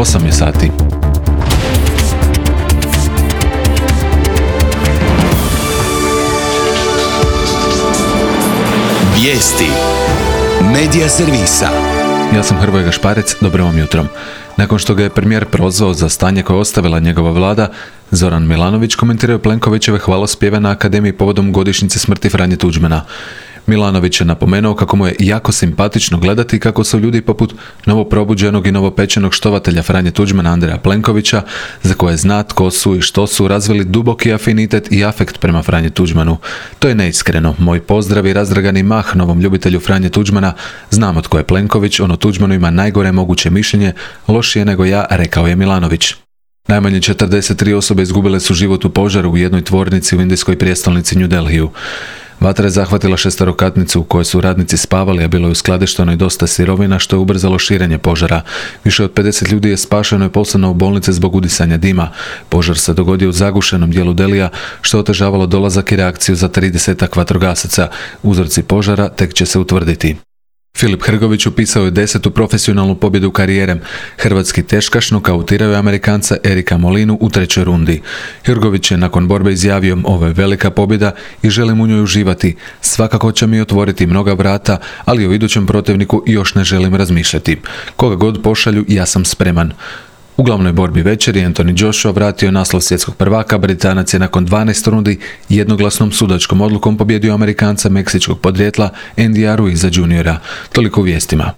8 je sati. Vijesti Medija servisa. Ja sam Hrvoje Gašparec, dobro vam jutro. Nakon što ga je premijer prozvao za stanje koje je ostavila njegova vlada, Zoran Milanović komentirao je Plenkovićeve hvalospjeve na Akademiji povodom godišnjice smrti Franje Tuđmana. Milanović je napomenuo kako mu je jako simpatično gledati kako su ljudi poput novoprobuđenog i novopečenog štovatelja Franje Tuđmana Andreja Plenkovića, za koje zna tko su i što su, razvili duboki afinitet i afekt prema Franji Tuđmanu. To je neiskreno. Moj pozdrav i razdragani mah novom ljubitelju Franje Tuđmana. Znamo tko je Plenković, on o Tuđmanu ima najgore moguće mišljenje, lošije nego ja, rekao je Milanović. Najmanje 43 osobe izgubile su život u požaru u jednoj tvornici u indijskoj prijestolnici New Delhiju. Vatra je zahvatila šesterokatnicu u kojoj su radnici spavali, a bilo je uskladišteno i dosta sirovina, što je ubrzalo širenje požara. Više od 50 ljudi je spašeno i poslano u bolnice zbog udisanja dima. Požar se dogodio u zagušenom dijelu Delija, što je otežavalo dolazak i reakciju za 30 vatrogasaca. Uzroci požara tek će se utvrditi. Filip Hrgović upisao je 10. profesionalnu pobjedu karijere. Hrvatski teškaš nokautirao je Amerikanca Erika Molinu u 3. rundi. Hrgović je nakon borbe izjavio: ovo je velika pobjeda i želim u njoj uživati. Svakako će mi otvoriti mnoga vrata, ali o idućem protivniku još ne želim razmišljati. Koga god pošalju, ja sam spreman. U glavnoj borbi večeri Anthony Joshua vratio je naslov svjetskog prvaka. Britanac je nakon 12 rundi jednoglasnom sudačkom odlukom pobjedio Amerikanca meksičkog podrijetla Andyja Ruiza Jr. Toliko u vijestima.